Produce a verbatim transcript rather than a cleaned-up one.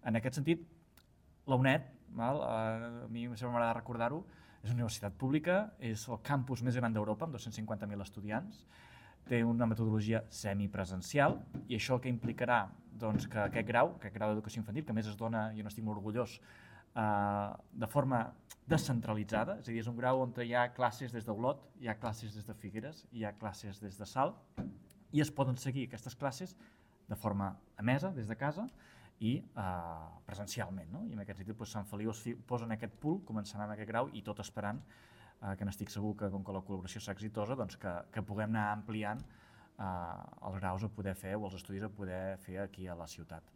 En aquest sentit, la UNED, val, a mi sempre m'agrada recordar-ho, és una universitat pública, és el campus més gran d'Europa, amb dos-cents cinquanta mil estudiants, té una metodologia semipresencial i això que implicarà doncs, que aquest grau, aquest grau d'educació infantil, que a més es dona, jo n'estic molt orgullós, eh, de forma descentralitzada, és a dir, és un grau on hi ha classes des d'Olot, hi ha classes des de Figueres, hi ha classes des de Salt, i es poden seguir aquestes classes de forma emesa, des de casa, i eh, presencialment, no? I en aquest sentit doncs, Sant Feliu es posa en aquest pool, començant amb aquest grau i tot esperant eh, que n'estic segur que com que la col·laboració és exitosa, doncs que, que puguem anar ampliant eh, els graus a poder fer o els estudis a poder fer aquí a la ciutat.